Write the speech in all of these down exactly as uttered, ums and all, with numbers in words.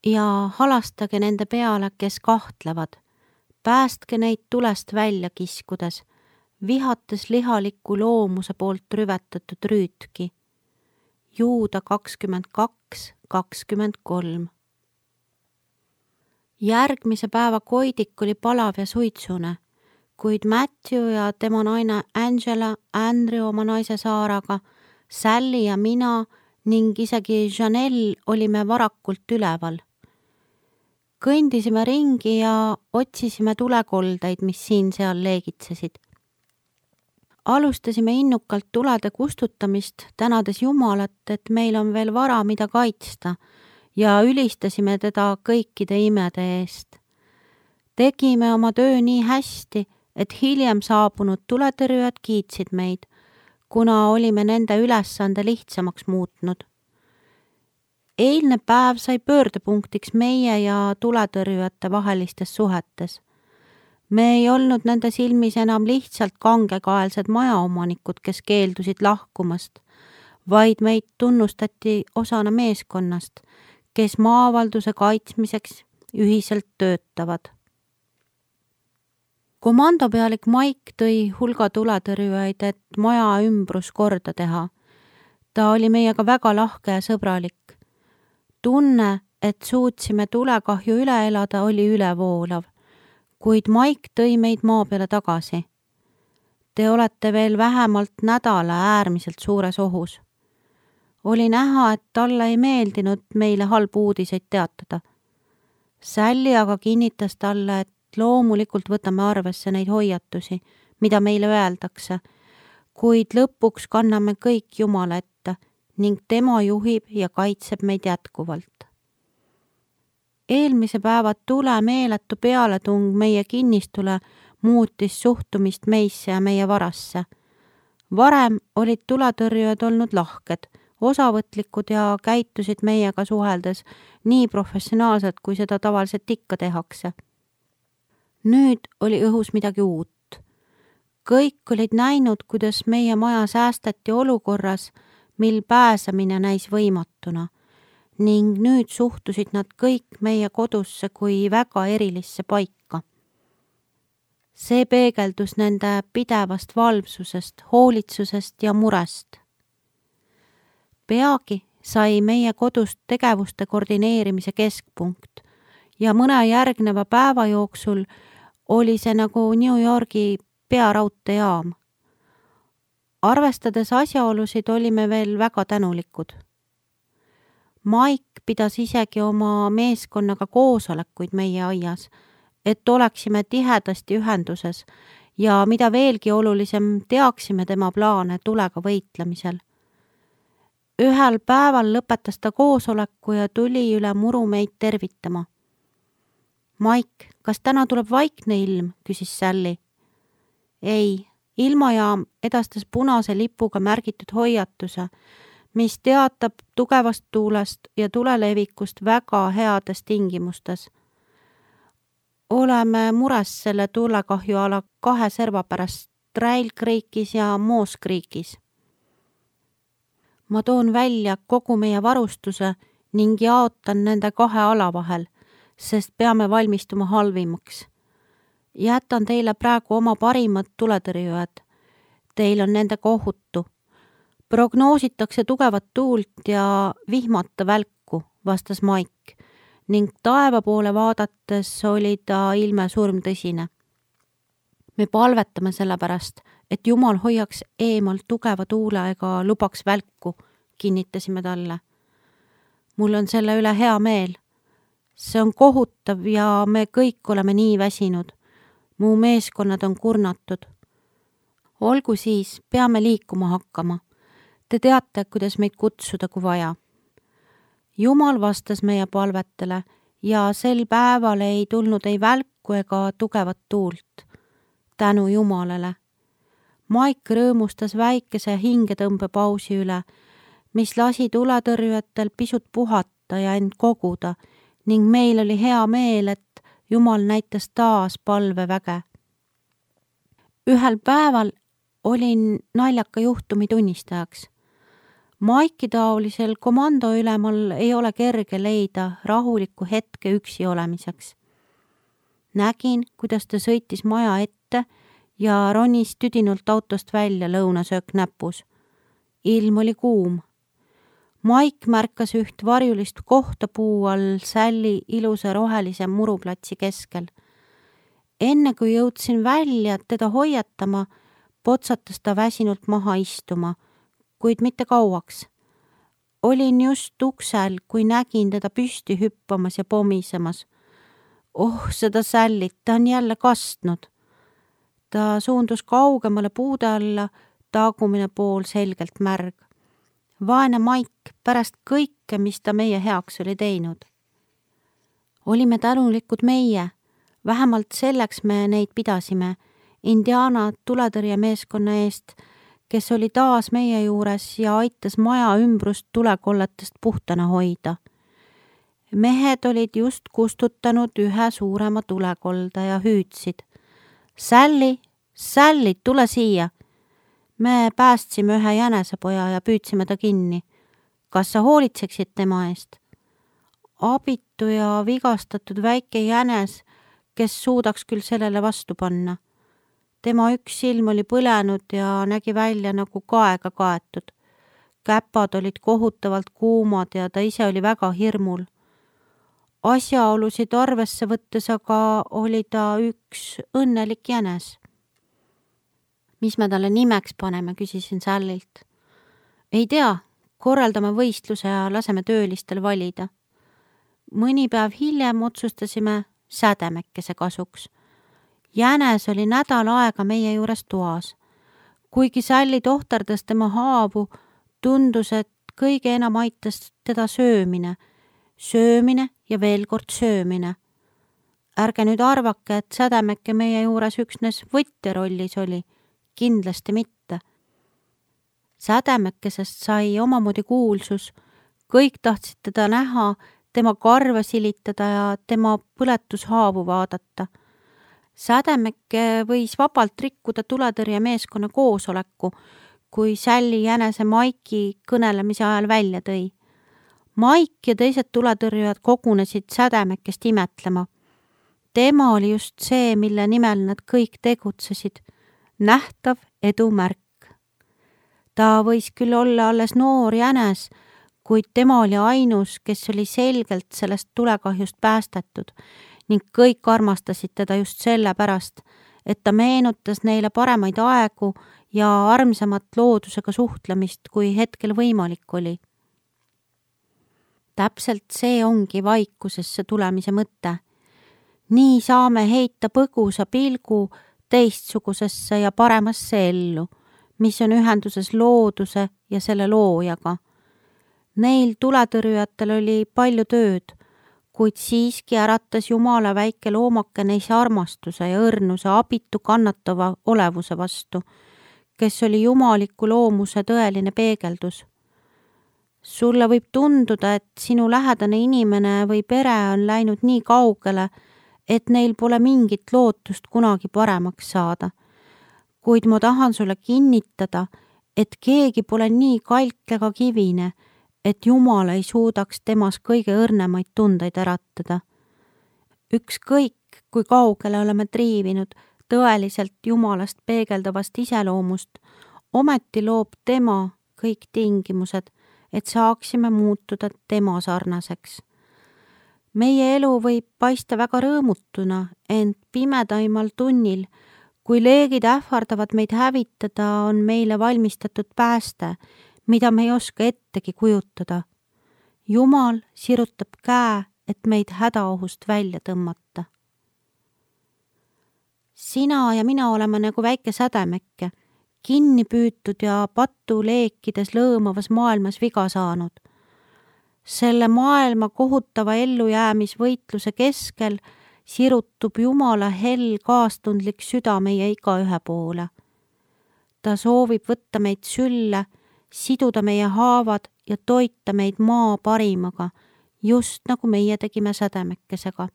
ja halastage nende peale, kes kahtlevad. Päästke neid tulest välja kiskudes, vihates lihaliku loomuse poolt rüvetatud rüütki. Juuda kakskümmend kaks kakskümmend kolm. Järgmise päeva koidik oli palav ja suitsune, kuid Matthew ja tema naine Angela, Andrew oma naise Saaraga, Sally ja mina ning isegi Janelle olime varakult üleval. Kõndisime ringi ja otsisime tulekoldeid, mis siin-seal leegitsesid. Alustasime innukalt tulede kustutamist, tänades Jumalat, et meil on veel vara, mida kaitsta, ja ülistasime teda kõikide imede eest. Tegime oma töö nii hästi, et hiljem saabunud tuletõrjujad kiitsid meid, kuna olime nende ülesande lihtsamaks muutnud. Eilne päev sai pöördepunktiks meie ja tuletõrjujate vahelistes suhetes. Me ei olnud nende silmis enam lihtsalt kangekaelsed majaomanikud, kes keeldusid lahkumast, vaid meid tunnustati osana meeskonnast, kes maavalduse kaitsmiseks ühiselt töötavad. Komandopealik Mike tõi hulga tuletõrjujaid, et maja ümbrus korda teha. Ta oli meiega väga lahke ja sõbralik. Tunne, et suutsime tulekahju üle elada, oli ülevoolav, kuid Mike tõi meid maa peale tagasi. Te olete veel vähemalt nädala äärmiselt suures ohus. Oli näha, et talle ei meeldinud meile halbu uudiseid teatada. Sally aga kinnitas talle, et loomulikult võtame arvesse neid hoiatusi, mida meile öeldakse, kuid lõpuks kanname kõik Jumala ette ning tema juhib ja kaitseb meid jätkuvalt. Eelmise päeva tule meeletu pealetung meie kinnistule muutis suhtumist meisse ja meie varasse. Varem olid tuletõrjujad olnud lahked, osavõtlikud ja käitusid meiega suheldes nii professionaalselt, kui seda tavaliselt ikka tehakse. Nüüd oli õhus midagi uut. Kõik olid näinud, kuidas meie maja säästati olukorras, mil pääsemine näis võimatuna, ning nüüd suhtusid nad kõik meie kodusse kui väga erilisse paika. See peegeldus nende pidevast valvsusest, hoolitsusest ja murest. Peagi sai meie kodust tegevuste koordineerimise keskpunkt ja mõne järgneva päeva jooksul oli see nagu New Yorgi pearaudtejaam. Arvestades asjaolusid olime veel väga tänulikud. Mike pidas isegi oma meeskonnaga koosolekuid meie aias, et oleksime tihedasti ühenduses ja mida veelgi olulisem, teaksime tema plaane tulega võitlemisel. Ühel päeval lõpetas ta koosoleku ja tuli üle muru meid tervitama. Mike, kas täna tuleb vaikne ilm, küsis Sally. Ei, ilmajaam edastas punase lipuga märgitud hoiatuse, mis teatab tugevast tuulest ja tulelevikust väga heades tingimustes. Oleme mures selle tulekahjuala kahe serva pärast Trail Creekis ja Moss Creekis. Ma toon välja kogu meie varustuse ning jaotan nende kahe ala vahel, sest peame valmistuma halvimaks. Jätan teile praegu oma parimad tuletõrjujad. Teil on nende kohutu. Prognoositakse tugevat tuult ja vihmata välku, vastas Mike, ning taeva poole vaadates oli ta ilme surm tõsine. Me palvetame selle pärast, et Jumal hoiaks eemal tugeva tuule ega lubaks välku, kinnitasime talle. Mul on selle üle hea meel. See on kohutav ja me kõik oleme nii väsinud. Mu meeskonnad on kurnatud. Olgu siis, peame liikuma hakkama. Te teate, kuidas meid kutsuda, kui vaja. Jumal vastas meie palvetele ja sel päeval ei tulnud ei välku ega tugevat tuult. Tänu Jumalale. Mike rõõmustas väikese hingetõmbepausi üle, mis lasi tuletõrjujatel pisut puhata ja end koguda ning meil oli hea meel, et Jumal näitas taas palveväge. Ühel päeval olin naljaka juhtumi tunnistajaks. Maiki taolisel komandoülemal ei ole kerge leida rahulikku hetke üksi olemiseks. Nägin, kuidas ta sõitis maja ette ja ronis tüdinult autost välja lõunasöök näpus. Ilm oli kuum. Maik märkas üht varjulist kohta puu all Sälli ilusa rohelise muruplatsi keskel. Enne kui jõudsin välja teda hoiatama, potsatas ta väsinult maha istuma, kuid mitte kauaks. Olin just uksel, kui nägin teda püsti hüppamas ja pomisemas. Oh, seda Sällit, ta on jälle kastnud. Ta suundus kaugemale puude alla, tagumine pool selgelt märg. Vaene Maik pärast kõike, mis ta meie heaks oli teinud. Olime tänulikud meie, vähemalt selleks me neid pidasime, Indiana tuletõrjemeeskonna eest, kes oli taas meie juures ja aitas maja ümbrust tulekolletest puhtana hoida. Mehed olid just kustutanud ühe suurema tulekolda ja hüüdsid. Sälli, Sälli, tule siia! Me päästsime ühe jänesepoja ja püüdsime ta kinni. Kas sa hoolitseksid tema eest? Abitu ja vigastatud väike jänes, kes suudaks küll sellele vastu panna. Tema üks silm oli põlenud ja nägi välja nagu kaega kaetud. Käpad olid kohutavalt kuumad ja ta ise oli väga hirmul. Asjaolusid arvesse võttes aga oli ta üks õnnelik jänes. Mis me talle nimeks paneme, küsisin Sällilt. Ei tea, korraldame võistluse ja laseme töölistel valida. Mõni päev hiljem otsustasime Sädemekese kasuks. Jänes oli nädal aega meie juures toas. Kuigi Sälli tohtardas tema haavu, tundus, et kõige enam aitas teda söömine. Söömine ja veel kord söömine. Ärge nüüd arvake, et Sädemeke meie juures üksnes võtterollis oli. Kindlasti mitte. Sädemekesest sai omamoodi kuulsus. Kõik tahtsid teda näha, tema karva silitada ja tema põletushaavu vaadata. Sädemekke võis vabalt rikkuda tuletõrjemeeskonna koosoleku, kui Sälli jänese Maiki kõnelemise ajal välja tõi. Maik ja teised tuletõrjujad kogunesid Sädemekest imetlema. Tema oli just see, mille nimel nad kõik tegutsesid. Nähtav edu märk. Ta võis küll olla alles noor jänes, kuid tema oli ainus, kes oli selgelt sellest tulekahjust päästetud ning kõik armastasid teda just selle pärast, et ta meenutas neile paremaid aegu ja armsamat loodusega suhtlemist, kui hetkel võimalik oli. Täpselt see ongi vaikusesse tulemise mõte. Nii saame heita põgusa pilgu teistsugusesse ja paremasse ellu, mis on ühenduses looduse ja selle loojaga. Neil tuletõrjujatel oli palju tööd, kuid siiski äratas Jumala väike loomake neis armastuse ja õrnuse abitu kannatava olevuse vastu, kes oli jumaliku loomuse tõeline peegeldus. Sulle võib tunduda, et sinu lähedane inimene või pere on läinud nii kaugele, et neil pole mingit lootust kunagi paremaks saada. Kuid ma tahan sulle kinnitada, et keegi pole nii kalk ega kivine, et Jumal ei suudaks temas kõige õrnemaid tundeid äratada. Ükskõik, kui kaugele oleme triivinud tõeliselt Jumalast peegeldavast iseloomust, ometi loob tema kõik tingimused, et saaksime muutuda tema sarnaseks. Meie elu võib paista väga rõõmutuna, ent pimedaimal tunnil, kui leegid ähvardavad meid hävitada, on meile valmistatud pääste, mida me ei oska ettegi kujutada. Jumal sirutab käe, et meid hädaohust välja tõmmata. Sina ja mina oleme nagu väike Sädemekke, kinni püütud ja patu leekides lõõmavas maailmas viga saanud. Selle maailma kohutava ellujäämisvõitluse keskel sirutub Jumala hell kaastundlik süda meie igaühe poole. Ta soovib võtta meid sülle, siduda meie haavad ja toita meid maa parimaga, just nagu meie tegime Sädemekesega.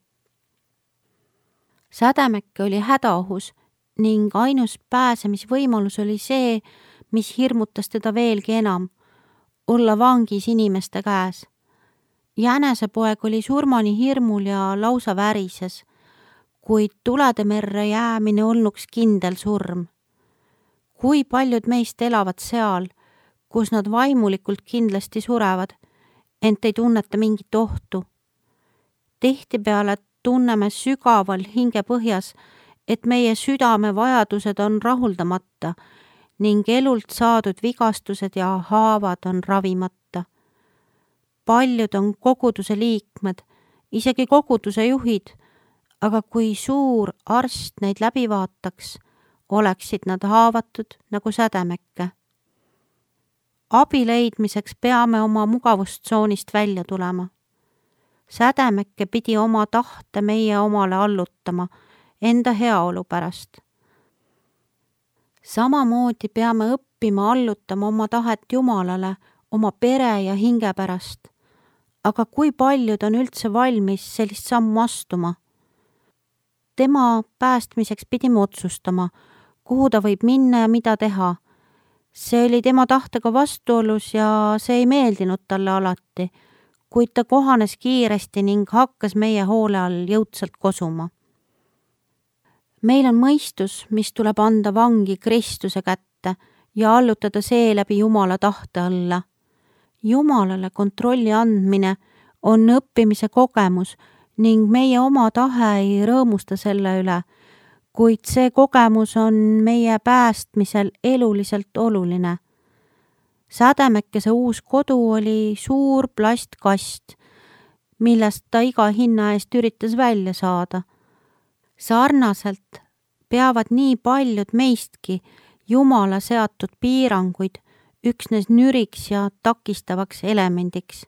Sädemekke oli hädaohus ning ainus pääsemisvõimalus oli see, mis hirmutas teda veelgi enam. olla vangis inimeste käes. Jänesepoeg oli surmani hirmul ja lausa värises, kuid tuledemerre jäämine olnuks kindel surm. Kui paljud meist elavad seal, kus nad vaimulikult kindlasti surevad, ent ei tunneta mingit ohtu. Tihtipeale tunneme sügaval hingepõhjas, et meie südame vajadused on rahuldamata ning elult saadud vigastused ja haavad on ravimata. Paljud on koguduse liikmed, isegi koguduse juhid, aga kui suur arst neid läbi vaataks, oleksid nad haavatud nagu sädemekke. Abi leidmiseks peame oma mugavustsoonist välja tulema. Sädemekke pidi oma tahte meie omale allutama, enda heaolu pärast. Samamoodi peame õppima allutama oma tahet Jumalale, oma pere ja hinge pärast. Aga kui paljud on üldse valmis sellist sammu astuma? Tema päästmiseks pidime otsustama, kuhu ta võib minna ja mida teha. See oli tema tahtega vastuolus ja see ei meeldinud talle alati, kuid ta kohanes kiiresti ning hakkas meie hoole all jõudsalt kosuma. Meil on mõistus, mis tuleb anda vangi Kristuse kätte ja allutada seeläbi Jumala tahte alla. Jumalale kontrolli andmine on õppimise kogemus ning meie oma tahe ei rõõmusta selle üle, kuid see kogemus on meie päästmisel eluliselt oluline. Sädemekese uus kodu oli suur plastkast, millest ta iga hinna eest üritas välja saada. Sarnaselt peavad nii paljud meistki Jumala seatud piiranguid üksnes nüriks ja takistavaks elemendiks.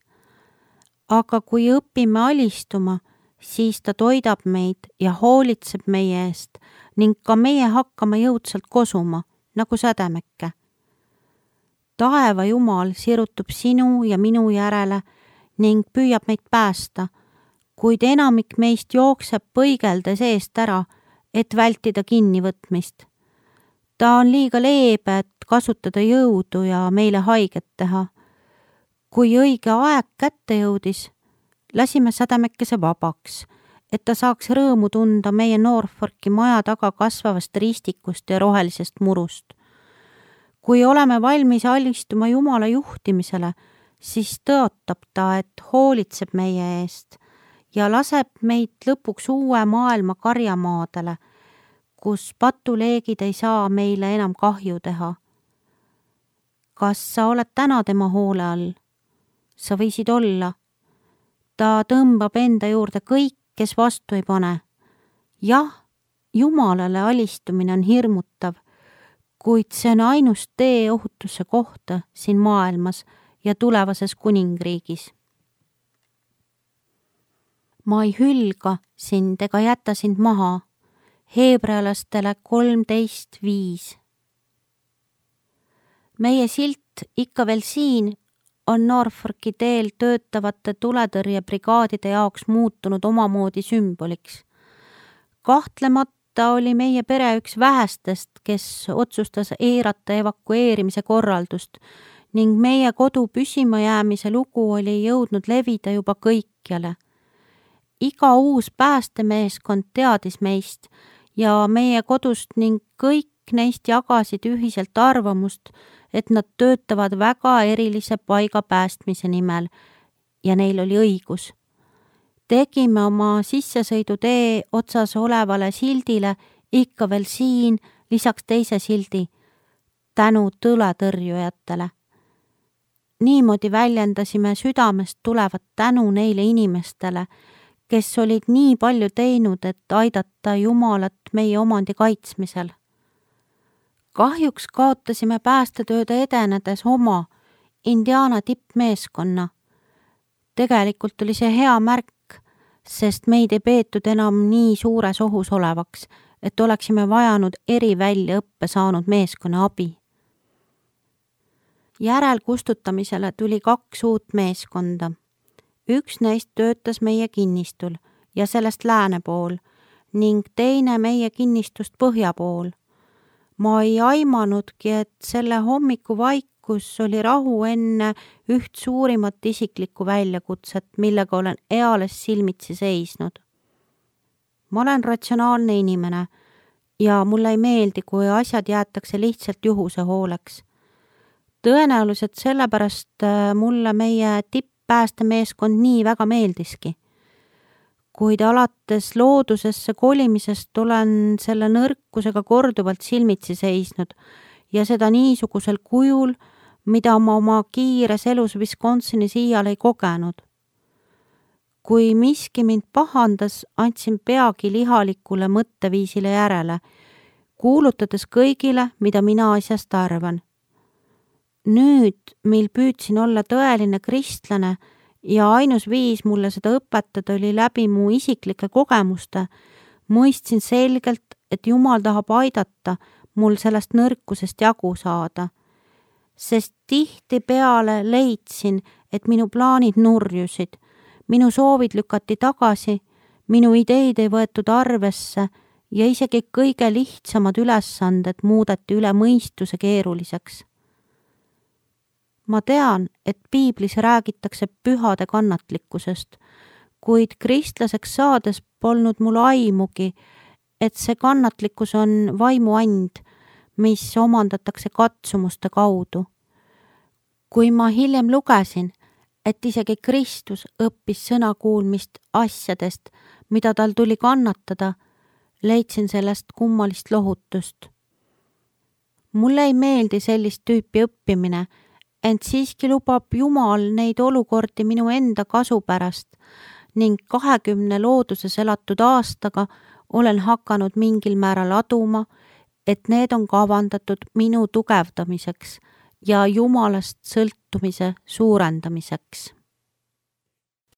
Aga kui õpime alistuma, siis ta toidab meid ja hoolitseb meie eest ning ka meie hakkame jõudsalt kosuma, nagu sädemekke. Taeva Jumal sirutub sinu ja minu järele ning püüab meid päästa, kuid enamik meist jookseb põigeldes eest ära, et vältida kinnivõtmist. Ta on liiga leebe, et kasutada jõudu ja meile haiget teha. Kui õige aeg kätte jõudis, lasime sädemekese vabaks, et ta saaks rõõmu tunda meie Norfolki maja taga kasvavast ristikust ja rohelisest murust. Kui oleme valmis alistuma Jumala juhtimisele, siis tõotab ta, et hoolitseb meie eest ja laseb meid lõpuks uue maailma karjamaadele, kus patuleegid ei saa meile enam kahju teha. Kas sa oled täna tema hoole all? Sa võisid olla. Ta tõmbab enda juurde kõik, kes vastu ei pane. Jah, Jumalale alistumine on hirmutav, kuid see on ainus tee ohutuse kohta siin maailmas ja tulevases kuningriigis. Ma ei hülga sind ega jäta sind maha. Heebrealastele kolmteist viis. Meie silt ikka veel siin on Norfolki teel töötavate tuletõrjebrigaadide jaoks muutunud omamoodi sümboliks. Kahtlemata oli meie pere üks vähestest, kes otsustas eirata evakueerimise korraldust ning meie kodu püsima jäämise lugu oli jõudnud levida juba kõikjale. Iga uus päästemeeskond teadis meist ja meie kodust ning kõik neist jagasid ühiselt arvamust, et nad töötavad väga erilise paiga päästmise nimel ja neil oli õigus. Tegime oma sissesõidutee otsas olevale sildile ikka veel siin lisaks teise sildi tänu tuletõrjujatele. Niimoodi väljendasime südamest tulevat tänu neile inimestele, kes olid nii palju teinud, et aidata Jumalat meie omandi kaitsmisel. Kahjuks kaotasime päästetööde edenedes oma Indiana tippmeeskonna. Tegelikult oli see hea märk, sest meid ei peetud enam nii suures ohus olevaks, et oleksime vajanud eriväljaõppe saanud meeskonna abi. Järelkustutamisele tuli kaks uut meeskonda. Üks neist töötas meie kinnistul ja sellest lääne pool ning teine meie kinnistust põhja pool. Ma ei aimanudki, et selle hommiku vaikus kus oli rahu enne üht suurimat isiklikku väljakutset, millega olen eales silmitsi seisnud. Ma olen ratsionaalne inimene ja mulle ei meeldi, kui asjad jäetakse lihtsalt juhuse hooleks. Tõenäoliselt sellepärast mulle meie tipppäästemeeskond nii väga meeldiski. Kuid alates loodusesse kolimisest olen selle nõrkusega korduvalt silmitsi seisnud ja seda niisugusel kujul, mida ma oma kiires elus Wisconsinis iial ei kogenud. Kui miski mind pahandas, andsin peagi lihalikule mõtteviisile järele, kuulutades kõigile, mida mina asjast arvan. Nüüd, mil püüdsin olla tõeline kristlane ja ainus viis mulle seda õpetada oli läbi mu isiklike kogemuste, mõistsin selgelt, et Jumal tahab aidata mul sellest nõrkusest jagu saada. Sest tihtipeale leidsin, et minu plaanid nurjusid, minu soovid lükati tagasi, minu ideid ei võetud arvesse ja isegi kõige lihtsamad ülesanded muudeti üle mõistuse keeruliseks. Ma tean, et piiblis räägitakse pühade kannatlikkusest, kuid kristlaseks saades polnud mul aimugi, et see kannatlikkus on vaimuand, mis omandatakse katsumuste kaudu. Kui ma hiljem lugesin, et isegi Kristus õppis sõnakuulmist asjadest, mida tal tuli kannatada, leidsin sellest kummalist lohutust. Mulle ei meeldi sellist tüüpi õppimine, ent siiski lubab Jumal neid olukordi minu enda kasu pärast ning kahekümne looduses elatud aastaga olen hakanud mingil määral aduma, et need on kavandatud minu tugevdamiseks ja Jumalast sõltumise suurendamiseks.